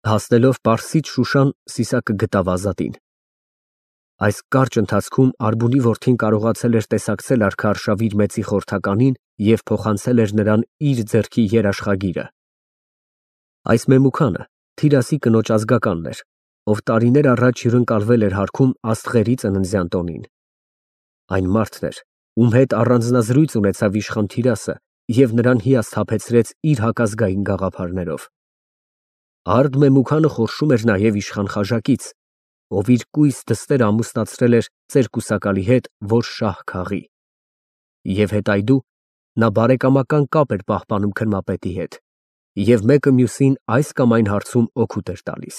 Հասնելով Պարսից Շուշան, Սիսակը գտավ Ազատին։ Այս կարճ ընթացքում Արբունի որդին կարողացել էր տեսակցել արքայարշավի իր մեծի խորհրդականին և փոխանցել էր նրան իր ձեռքի երաշխագիրը։ Այս մեմուքանը Թիրասի կնոջ ազգականն էր, ով տարիներ առաջ հյուրընկալվել էր հարքում աստղերի ծննդյան տոնին։ Այն մարդն էր, ում հետ առանձնազրույց ունեցավ իշխան Թիրասը և նրան հիասթափեցրեց իր հակազգային գաղափարներով։ Արդ մեմուքանը խորշում էր նաև իշխան Խաժակից, ով իր կույս դստերը ամուսնացրել էր ծերկուսակալի հետ, որ շահ քաղի։ Եվ հետայդու նա բարեկամական կապ էր պահպանում քրմապետի հետ և մեկը մյուսին այս կամ այն հարցում օգուտ էր տալիս։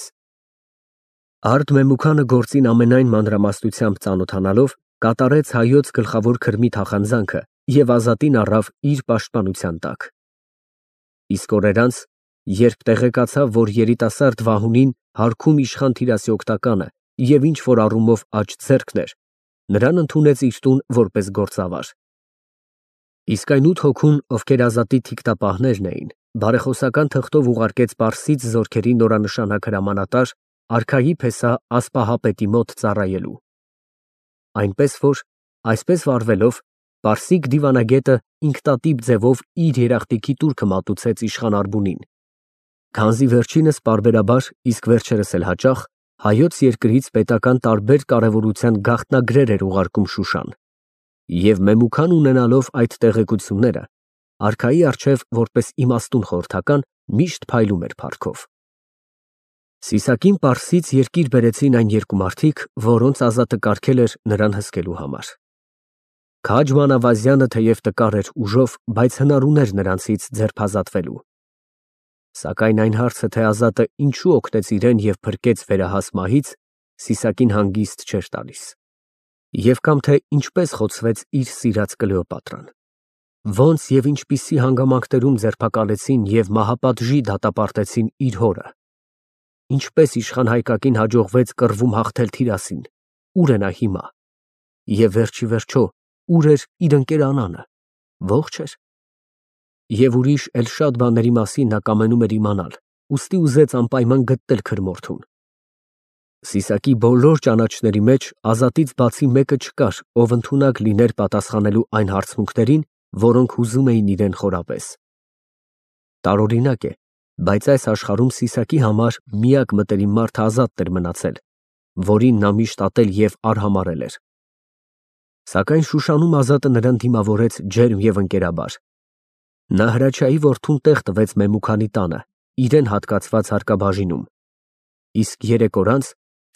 Արդ մեմուքանը գործին ամենայն մանրամասնությամբ ծանոթանալով, կատարեց հայոց գլխավոր քրմի թախանձանքը և Ազատին առավ իր պաշտպանության տակ։ Իսկ օրեր անց, երբ տեղեկացավ, որ երիտասարդ Վահունին հարքում իշխան Թիրասի օգտականը և ինչ-որ առումով աջ ձեռքն էր, նրան ընդունեց իր տուն որպես գործավար։ Իսկ այն 8 հոգուն, ովքեր Ազատի թիկտապահներն էին, բարեխոսական թղթով ուղարկեց Պարսից զորքերի նորանշանակ հրամանատար արքայի փեսա Ասպահապետի մոտ ծառայելու։ Այնպես որ, այսպես վարվելով, պարսիկ դիվանագետը ինքնատիպ ձևով իր երախտիկի տուրքը մատուցեց իշխան Արբունին, քանզի վերջինս պարբերաբար, իսկ վերջերս էլ հաճախ, հայոց երկրից պետական տարբեր կարևորության գաղտնագրեր էր ուղարկում Շուշան, և մեմուքան ունենալով այդ տեղեկությունները, արքայի առջև որպես իմաստուն խորհրդական միշտ փայլում էր փառքով։ Սիսակին Պարսից երկիր բերեցին այն երկու մարդիկ, որոնց Ազատը կարգել էր նրան հսկելու համար։ Քաջ Մանավազյանը թեև տկար էր ուժով, բայց հնար ուներ նրանցից ձերբազատվելու։ Սակայն այն հարցը, թե Ազատը ինչու օգնեց իրեն և փրկեց վերահաս մահից, Սիսակին հանգիստ չէր տալիս։ Եվ կամ թե ինչպես խոցվեց իր սիրած Կլեոպատրան։ Ոնց և ինչպիսի հանգամանքներում ձերբակալեցին և մահապատժի դատապարտեցին իր հորը։ Ինչպես իշխան Հայկակին հաջողվեց կռվում հաղթել Թիրասին, ուր է նա հիմա։ Եվ վերջիվերջո, ուր էր իր ընկեր Անանը, ողջ էր։ Եվ ուրիշ էլ շատ բաների մասին նա կամենում էր իմանալ, ուստի ուզեց անպայման գտնել քրմորդուն։ Սիսակի բոլոր ճանաչների մեջ Ազատից բացի մեկը չկար, ով ընդունակ լիներ պատասխանելու այն հարցմունքներին, որոնք հուզում էին իրեն խորապես։ Տարօրինակ է, բայց այս աշխարհում Սիսակի համար միակ մտերիմ մարդը Ազատն էր մնացել, որին նա միշտ ատել և արհամարհել էր։ Սակայն Շուշանում Ազատը նրան դիմավորեց ջերմ և ընկերաբար։ Նա Հրաչյայի որդուն տեղ տվեց Մեմուքանի տանը, իրեն հատկացված հարկաբաժինում, իսկ 3 օր անց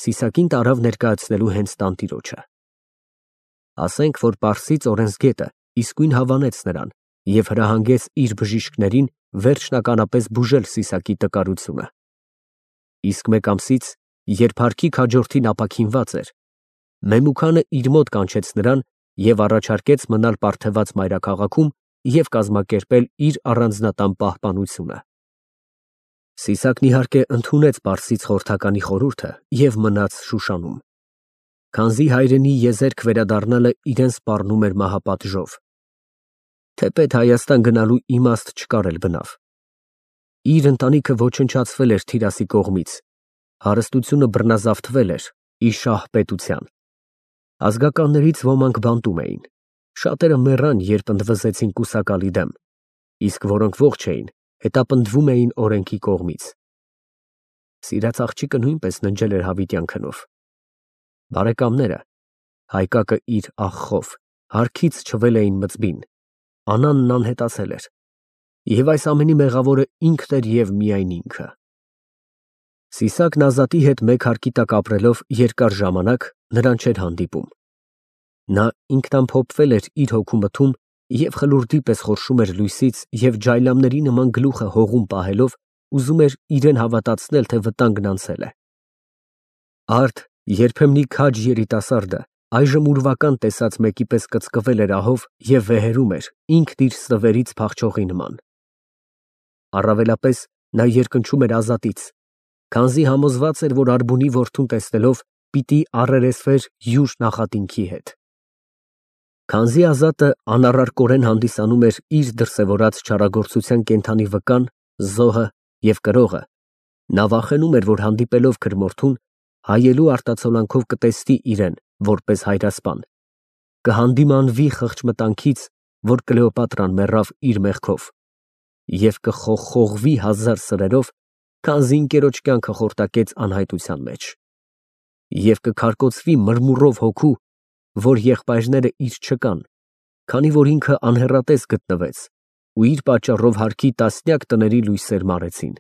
Սիսակին տարավ ներկայացնելու հենց տանտիրոջը։ Ասենք, որ Պարսից օրենսգետը իսկույն հավանեց նրան և հրահանգեց իր բժիշկներին վերջնականապես բուժել Սիսակի տկարությունը։ Իսկ մեկ ամսից, երբ հարկի քաջորդին ապաքինված էր, Մեմուքանը իր մոտ կանչեց նրան և առաջարկեց մնալ պարգևած մայրաքաղաքում և կազմակերպել իր առանձնատան պահպանությունը։ Սիսակն իհարկե ընդունեց Պարսից խորհրդականի խորհուրդը և մնաց Շուշանում, քանզի հայրենի եզերք վերադառնալը իրեն սպառնում էր մահապատժով։ Թեպետ Հայաստան գնալու իմաստ չկար էլ բնավ։ Իր ընտանիքը ոչնչացվել էր Թիրասի կողմից, հարստությունը բռնազավթվել էր ի շահ պետության։ Ազգականներից ոմանք բանտում էին, շատերը մեռան, երբ ընդվզեցին կուսակալի դեմ, իսկ որոնք ողջ էին, հետապնդվում էին օրենքի կողմից։ Սիրած աղջիկը նույնպես ննջել էր հավիտյան քնով։ Բարեկամները, Հայկակը իր աղխով, հարքից չվել էին մծբին, Անանն անհետացել էր, և այս ամենի մեղավորը ինքն էր և միայն ինքը։ Սիսակն Ազատի հետ մեկ հարկի տակ ապրելով երկար ժամանակ նրան չէր հանդիպում։ Նա ինքնամփոփվել էր իր հոգու մթում և խլուրդի պես խորշում էր լույսից և ջայլամների նման գլուխը հողում պահելով ուզում էր իրեն հավատացնել, թե վտանգն անցել է։ Արդ երբեմնի քաջ երիտասարդը այժմ ուրվական տեսած մեկի պես կծկվել էր ահով և վեհերում էր ինքն իր ստվերից փախչողի նման։ Առավելապես նա երկնչում էր Ազատից, քանզի համոզված էր, որ Արբունի որդուն տեսնելով պիտի առերեսվեր յուր նախատինքի հետ։ Քանզի Ազատը անառարկորեն հանդիսանում էր իր դրսևորած չարագործության կենդանի վկան, զոհը և կրողը, Նա վախենում էր, որ հանդիպելով քրմորդուն, հայելու արտացոլանքով կտեսնի իրեն, որպես հայրասպան, կհանդիմանվի խղճմտանքից, որ Կլեոպատրան մեռավ իր մեղքով, և կխողխողվի հազար սրերով, քանզի ընկերոջ կյանքը խորտակեց անհայտության մեջ, և կքարկոծվի մրմուռով հոգու, որ եղբայրները իր չկան, քանի որ ինքը անհեռատես գտնվեց ու իր պատճառով հարկի տասնյակ տների լույսեր մարեցին։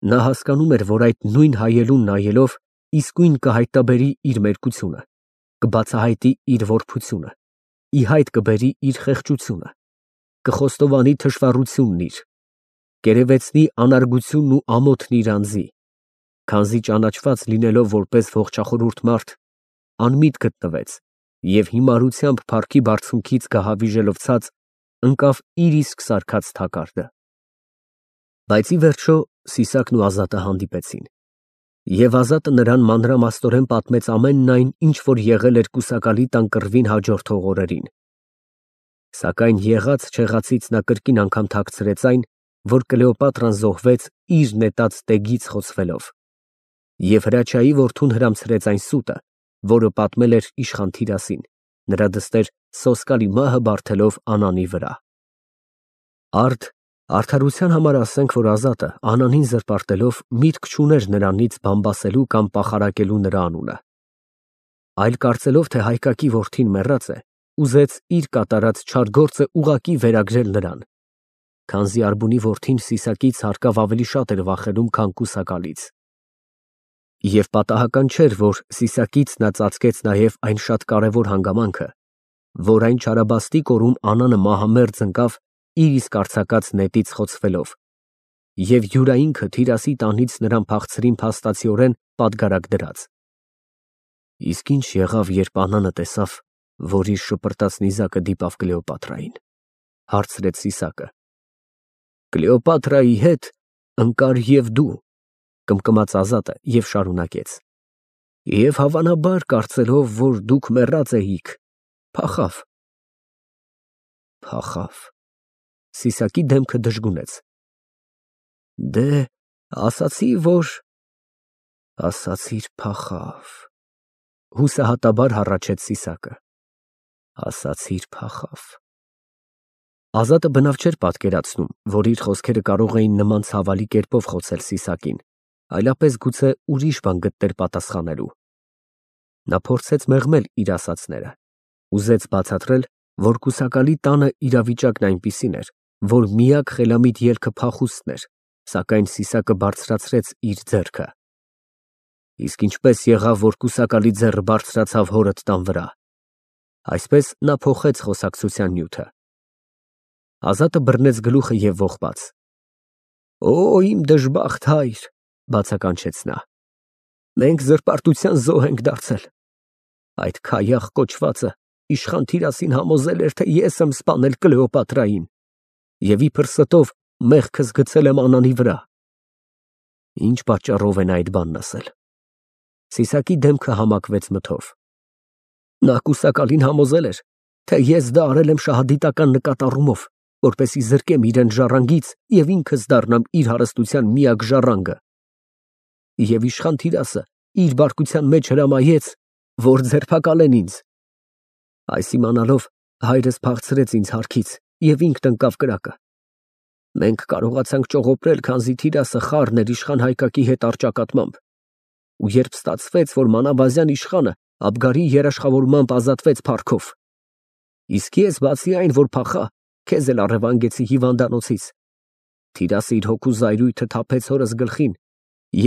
Նա հասկանում էր, որ այդ նույն հայելուն նայելով իսկույն կհայտնաբերի իր մերկությունը, կբացահայտի իր որբությունը, ի հայտ կբերի իր խեղճությունը, կխոստովանի թշվառությունն իր, կերևեցնի անարգությունն ու ամոթն իր անձի, քանզի ճանաչված լինելով որպես ողջախորհուրդ մարդ, անմիտ գտնվեց և հիմարությամբ փառքի բարձունքից գահավիժելով ցած, ընկավ իր իսկ սարքած թակարդը։ Բայց ի վերջո Սիսակն ու Ազատը հանդիպեցին, և Ազատը նրան մանրամասնորեն պատմեց ամենն այն, ինչ որ եղել էր կուսակալի տան կռվին հաջորդող օրերին։ Սակայն եղած֊չեղածից նա կրկին անգամ թաքցրեց այն, որ Կլեոպատրան զոհվեց իր նետած տեգից խոցվելով, և Հրաչյայի որդուն հրամցրեց այն սուտը, որը պատմել էր իշխան Թիրասին, նրա դստեր Սոսկալի մահը բարդելով Անանի վրա։ Արդարության համար ասենք, որ Ազատը Անանին զրպարտելով միտք չուներ նրանից բամբասելու կամ պախարակելու նրա անունը, այլ կարծելով, թե Հայկակի որդին մեռած է, ուզեց իր կատարած չար գործը ուղղակի վերագրել նրան, քանզի Արբունի որդին Սիսակից հարկավ ավելի շատ էր վախենում, քան կուսակալից։ Եվ պատահական չէր, որ Սիսակից նա ծածկեց նաև այն շատ կարևոր հանգամանքը, որ այն չարաբաստիկ օրում Անանը մահամերձ ընկավ իր իսկ արձակած նետից խոցվելով, և յուրայինքը Թիրասի տանից նրան փախցրին փաստացիորեն պատգարակ դրած։ Իսկ ինչ եղավ, երբ Անանը տեսավ, որ իր շպրտած նիզակը դիպավ Կլեոպատրային, հարցրեց Սիսակը։ Կլեոպատրայի հետ ընկար և դու, կմկմաց Ազատը և շարունակեց. Եվ հավանաբար կարծելով, որ դուք մեռած էիք, փախավ։ Փախավ։ Սիսակի դեմքը դժգունեց։ Դե, ասացի, որ… Ասացիր փախավ, հուսահատաբար հառաչեց Սիսակը։ Ասացիր փախավ։ Ազատը բնավ չէր պատկերացնում, որ իր խոսքերը կարող էին նման ցավալի կերպով խոցել Սիսակին, այլապես գուցե ուրիշ բան գտներ պատասխանելու։ Նա փորձեց մեղմել իր ասածները, ուզեց բացատրել, որ կուսակալի տանը իրավիճակն այնպիսին էր, որ միակ խելամիտ ելքը փախուստն էր, սակայն Սիսակը բարձրացրեց իր ձեռքը։ Իսկ ինչպես եղավ, որ կուսակալի ձեռը բարձրացավ հորդ տան վրա։ Այսպես նա փոխեց խոսակցության նյութը։ Ազատը բռնեց գլուխը և ողբաց։ Օ, իմ դժբախտ հայր, բացականչեց նա, մենք զրպարտության զոհ ենք դարձել։ Այդ քայախ կոչվածը իշխան Թիրասին համոզել էր, թե ես եմ սպանել Կլեոպատրային, և իբր ստով մեղքս գցել եմ Անանի վրա։ Ինչ պատճառով է նա այդ բանն ասել։ Սիսակի դեմքը համակվեց մթով։ Նա կուսակալին համոզել էր, թե ես դա արել եմ շահադիտական նկատառումով, որպեսզի զրկեմ իրան ժառանգից և ինքս դառնամ իր հարստության միակ ժառանգը։ Եվ իշխան Թիրասը իր բարկության մեջ հրամայեց, որ ձերբակալեն ինձ։ Այս իմանալով հայրս փախցրեց ինձ հարկից և ինքն ընկավ կրակը։ Մենք կարողացանք ճողոպրել, քանզի Թիրասը խառն էր իշխան Հայկակի հետ առճակատմամբ, ու երբ ստացվեց, որ Մանավազյան իշխանը Աբգարի երաշխավորմամբ ազատվեց փառքով, իսկ ես, բացի այն, որ փախա, քեզ էլ առևանգեցի հիվանդանոցից, Թիրասը իր հոգու զայրույթը թափեց հորս գլխին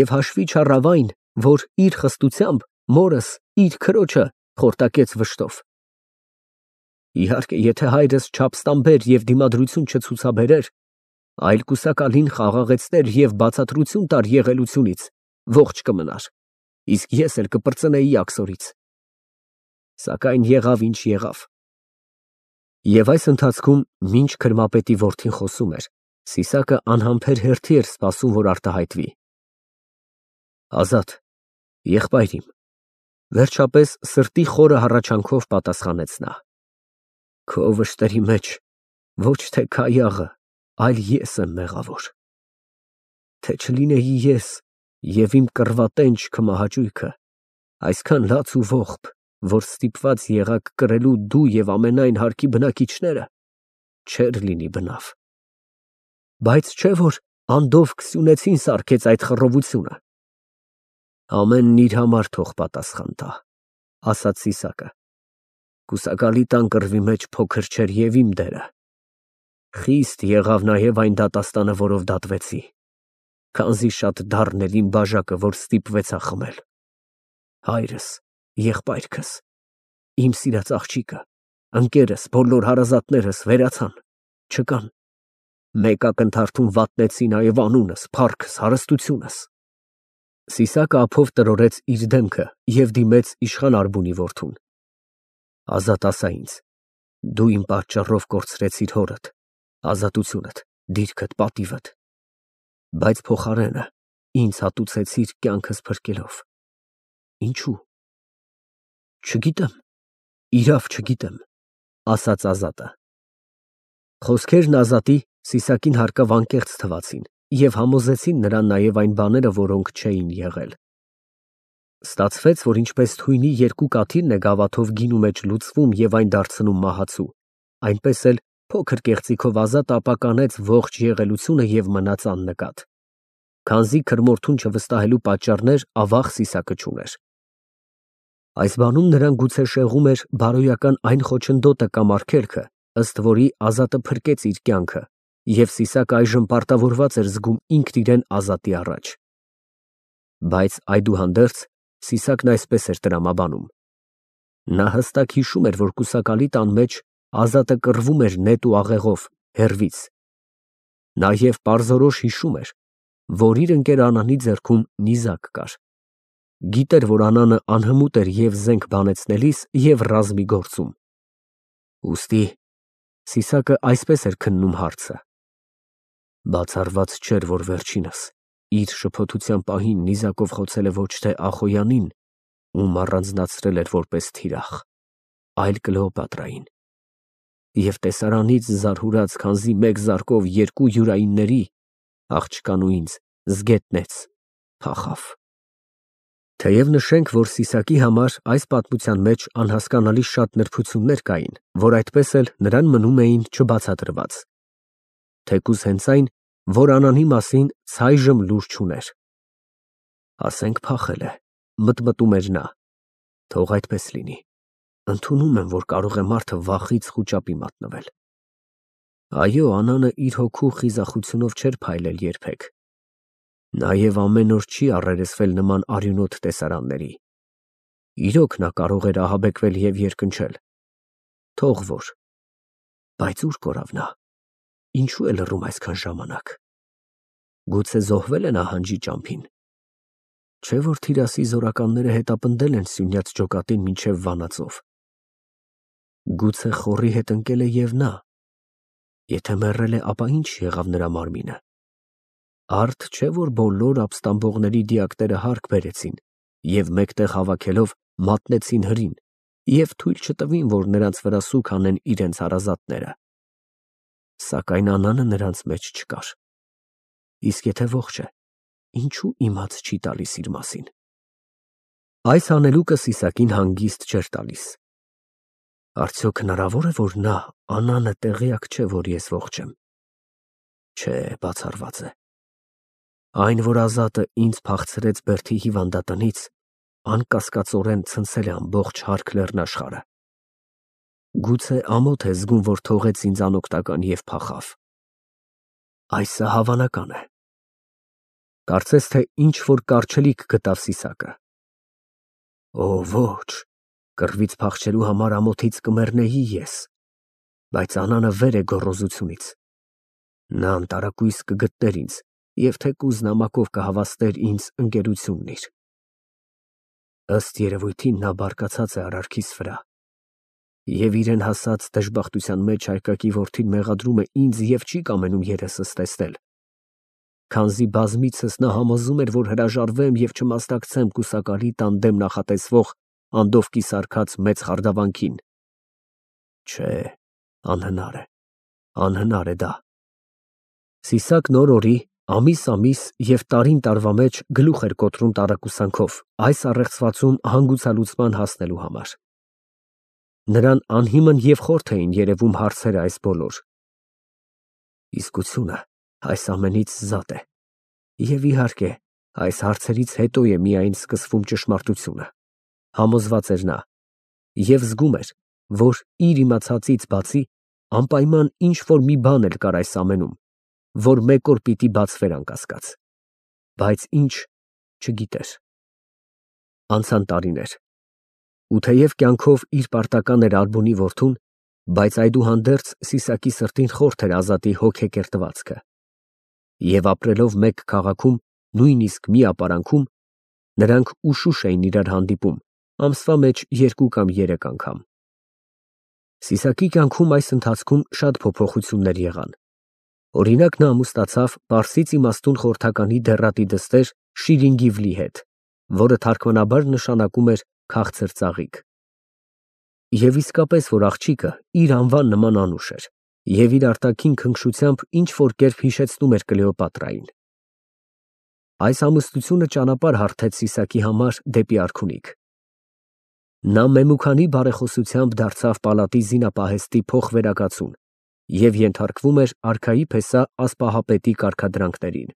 և հաշվի չառավ այն, որ իր խստությամբ մորս իր քրոջը խորտակեց վշտով։ Իհարկե, եթե հայրս չափստամբեր և դիմադրություն չցուցաբերեր, այլ կուսակալին խաղաղեցներ և բացատրություն տար եղելությունից, ողջ կմնար, իսկ ես էլ կպրծնեի աքսորից։ Սակայն եղավ ինչ եղավ։ Եվ այս ընթացքում, մինչ քրմապետի որդին խոսում էր, Սիսակը անհամբեր հերթի էր սպասում, որ արտահայտվի։ Ազատ, եղբայր իմ, վերջապես սրտի խորը հառաչանքով պատասխանեց նա։ Քո վշտերի մեջ ոչ թե Քայաղը, այլ ես եմ մեղավոր։ թե չլինեի ես և իմ կռվատենչ քմահաճույքը, այսքան լաց ու ողբ, որ ստիպված եղաք կրելու դու և ամենայն հարկի բնակիչները, չէր լինի բնավ։ Բայց չէ՞ որ անդով Քսյունեցին սարքեց այդ խռովությունը։ Ամենն իր համար թող պատասխան տա, ասաց Սիսակը։ Կուսակալի տան կռվի մեջ փոքր չէր և իմ դերը։ Խիստ եղավ նաև այն դատաստանը, որով դատվեցի, քանզի շատ դառն էր իմ բաժակը, որ ստիպվեցա խմել։ Հայրս, եղբայրքս, իմ սիրած աղջիկը, ընկերս, բոլոր հարազատներս վերացան, չկան։ Մեկ ակնթարթում վատնեցի նաև անունս, փառքս, հարստությունս։ Սիսակը ափով տրորեց իր դեմքը և դիմեց իշխան Արբունի որդուն։ Ազատ ասա ինձ, դու իմ պատճառով կորցրեցիր հորդ, ազատությունդ, դիրքդ, պատիվդ, բայց փոխարենը ինձ հատուցեցիր կյանքս փրկելով։ Ինչու՞։ Չգիտեմ, իրավ չգիտեմ, ասաց Ազատը։ Խոսքերն Ազատի Սիսակին հարկավ անկեղծ թվացին և համոզեցին նրան նաև այն բաները, որոնք չէին եղել։ Ստացվեց, որ ինչպես թույնի երկու կաթիլն է գավաթով գինու մեջ լուծվում և այն դարձնում մահացու, այնպես էլ փոքր կեղծիքով Ազատը ապականեց ողջ եղելությունը և մնաց աննկատ։ Քանզի քրմորթուն չվստահելու պատճառներ ավաղ Սիսակը չուներ։ Այս բանում նրան գուցե շեղում էր բարոյական այն խոչընդոտը կամ արգելքը, ըստ որի Ազատը փրկեց իր կյանքը, և Սիսակը այժմ պարտավորված էր զգում ինքն իրեն Ազատի առաջ։ Բայց այդուհանդերձ Սիսակն այսպես էր տրամաբանում. նա հստակ հիշում էր, որ կուսակալի տան մեջ Ազատը կռվում էր նետ ու աղեղով, հեռվից։ Նաև պարզորոշ հիշում էր, որ իր ընկեր Անանի ձեռքում նիզակ կար։ Գիտեր, որ Անանը անհմուտ էր և զենք բանեցնելիս, և ռազմի գործում։ Ուստի Սիսակը այսպես էր քննում հարցը. բացառված չէր, որ վերջինս իր շփոթության պահին նիզակով խոցել է ոչ թե Ախոյանին, ում առանձնացրել էր որպես թիրախ, այլ Կլեոպատրային, և տեսարանից զարհուրած քանզի մեկ զարկով երկու յուրայինների, աղջկան ու ինձ, զգետնեց, փախավ։ Թեև նշենք, որ Սիսակի համար այս պատմության մեջ անհասկանալի շատ նրբություններ կային, որ այդպես էլ նրան մնում էին չբացատրված։ Թեկուզ հենց այն, որ Անանի մասին ցայժմ լուր չուներ։ Ասենք փախել է, մտմտում էր նա, թող այդպես լինի, ընդունում եմ, որ կարող է մարդը վախից խուճապի մատնվել։ Այո, Անանը իր հոգու խիզախությունով չէր փայլել երբեք։ Նաև ամեն օր չի առերեսվել նման արյունոտ տեսարանների։ Իրոք նա կարող էր ահաբեկվել և երկնչել, թող որ, բայց ուր կորավ նա, ինչու է լռում այսքան ժամանակ։ Գուցե զոհվել է նահանջի ճամփին։ Չէ՞ որ թիրասի զորականները հետապնդել են սյունյաց ջոկատին մինչև Վանաձոր։ Գուցե խոռի հետ ընկել է և նա։ Եթե մեռել է, ապա ինչ եղավ նրա մարմինը։ Արդ չէ՞ որ բոլոր ապստամբողների դիակները հարկ բերեցին և մեկտեղ հավաքելով մատնեցին հրին և թույլ չտվին, որ նրանց վրա սուգ անեն իրենց հարազատները։ Սակայն Անանը նրանց մեջ չկար։ Իսկ եթե ողջ է, ինչու իմաց չի տալիս իր մասին։ Այս հանելուկը Սիսակին հանգիստ չէր տալիս։ Արդյոք հնարավոր է, որ նա, Անանը, տեղյակ չէ, որ ես ողջ եմ։ Չէ, բացառված է։ Այն, որ Ազատը ինձ փախցրեց Բերդի հիվանդատնից, անկասկածորեն ցնցել է ամբողջ հարկ լեռնաշխարհը։ Գուցե ամոթ է զգում, որ թողեց ինձ անօգնական և փախավ։ Այս հավանական է։ Կարծես թե ինչ-որ կառչելիք գտավ Սիսակը։ Օ, ոչ, կռվից փախչելու համար ամոթից կմեռնեի ես, բայց Անանը վեր է գոռոզությունից։ Նա անտարակույս կգտներ ինձ և թեկուզ նամակով կհավաստեր ինձ ընկերությունն իր։ Ըստ երևույթին նա բարկացած է արարքիս վրա և իրեն հասած դժբախտության մեջ հայկակի որդին մեղադրում է ինձ և չի կամենում երեսս տեսնել, քանզի բազմիցս նա համոզում էր, որ հրաժարվեմ և չմասնակցեմ կուսակալի տան դեմ նախատեսվող անդովկի սարքած մեծ խարդավանքին։ Չէ, անհնար է դա։ Սիսակն օր֊օրի ամիս և տարին տարվա մեջ գլուխ էր կոտրում տարակուսանքով այս առեղծվածում հանգուցալուծման հասնելու համար։ Նրան անհիմն և խորթ էին երևում հարցերը այս բոլոր։ Իսկությունը այս ամենից զատ է, և իհարկե, այս հարցերից հետո է միայն սկսվում ճշմարտությունը, համոզված էր նա, և զգում էր, որ իր իմացածից բացի անպայման ինչ-որ մի բան էլ կար այս ամենում, որ մեկ օր պիտի բացվեր անկասկած, բայց ինչ չգիտեր։ Անցան տարիներ, ու թեև կյանքով իր պարտական էր Ալբունի որդուն, բայց այդուհանդերձ Սիսակի սրտին խորթ էր Ազատի հոգեկերտվածքը, և ապրելով մեկ քաղաքում, նույնիսկ մի ապարանքում, նրանք ուշուշ էին իրար հանդիպում, ամսվա մեջ 2 կամ 3 անգամ։ Սիսակի կյանքում այս ընթացքում շատ փոփոխություններ եղան։ Օրինակ, նա ամուսնացավ պարսից իմաստուն խորհրդականի դեռատի դստեր Շիրինգիվլի հետ, որը թարգմանաբար նշանակում էր քաղցր ծաղիկ։ Եվ իսկապես, որ աղջիկը իր անվան նման անուշ էր, և իր արտաքին քնքշությամբ ինչ-որ կերպ հիշեցնում էր Կլեոպատրային։ Այս ամուսնությունը ճանապարհ հարթեց Սիսակի համար դեպի արքունիք։ Նա Մեմուքանի բարեխոսությամբ դարձավ պալատի զինապահեստի փոխվերակացուն և ենթարկվում էր արքայի փեսա ասպահապետի կարգադրանքներին։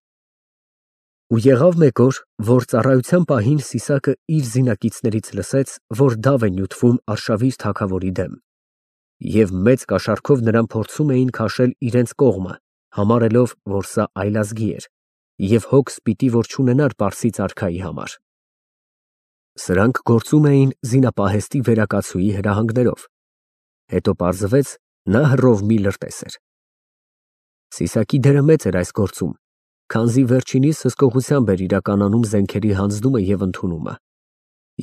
Ու եղավ մեկ օր, որ ծառայության պահին Սիսակը իր զինակիցներից լսեց, որ դավ է նյութվում Արշավիր թագավորի դեմ, և մեծ կաշառքով նրան փորձում էին քաշել իրենց կողմը, համարելով, որ սա այլազգի էր, և հոգս պիտի որ չունենար պարսից արքայի համար։ Սրանք գործում էին զինապահեստի վերակացուի հրահանգներով, հետո պարզվեց, նա հռով մի լրտես էր։ Սիսակի դերը մեծ էր այս գործում, քանզի վերջինիս հսկողությամբ էր իրականանում զենքերի հանձնումը և ընդունումը,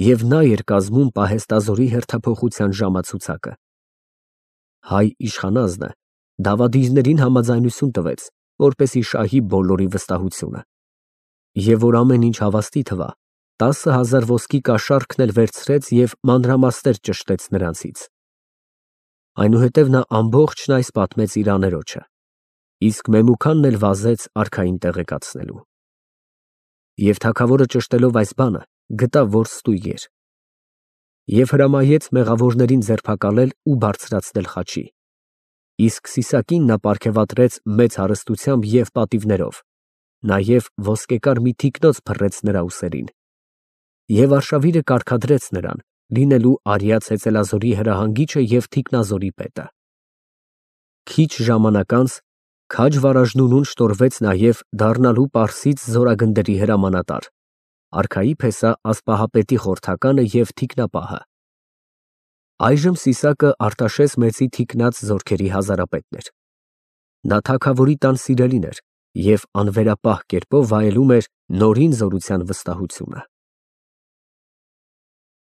և նա էր կազմում պահեստազորի հերթափոխության ժամացուցակը։ Հայ իշխանազնը դավադիրներին համաձայնություն տվեց, որպեսզի շահի բոլորի վստահությունը, և որ ամեն ինչ հավաստի թվա, 10,000 ոսկի կաշառքն էլ վերցրեց և մանրամասներ ճշտեց նրանցից։ Այնուհետև նա ամբողջն այս պատմեց իր աներոջը, իսկ Մեմուքանն էլ վազեց արքային տեղեկացնելու։ Եվ թագավորը ճշտելով այս բանը, գտավ, որ ստույգ էր, և հրամայեց մեղավորներին ձերբակալել ու բարձրացնել խաչի, իսկ Սիսակին նա պարգևատրեց մեծ հարստությամբ և պատիվներով, նաև ոսկեկար մի թիկնոց փռեց նրա ուսերին, և արշավիրը կարգադրեց նրան, լինելու Արիա ծեծելազորի հրահանգիչը և թիկնազորի պետը։ Քիչ ժամանակ անց քաջ Վարաժնունուն շտորվեց նաև դառնալու պարսից զորագնդերի հրամանատար, արքայի փեսա ասպահապետի խորհրդականը և թիկնապահը։ Այժմ Սիսակը Արտաշես մեծի թիկնած զորքերի հազարապետն էր։ Նա թագավորի տան սիրելին էր և անվերապահ կերպով վայելում էր նորին զորության վստահությունը։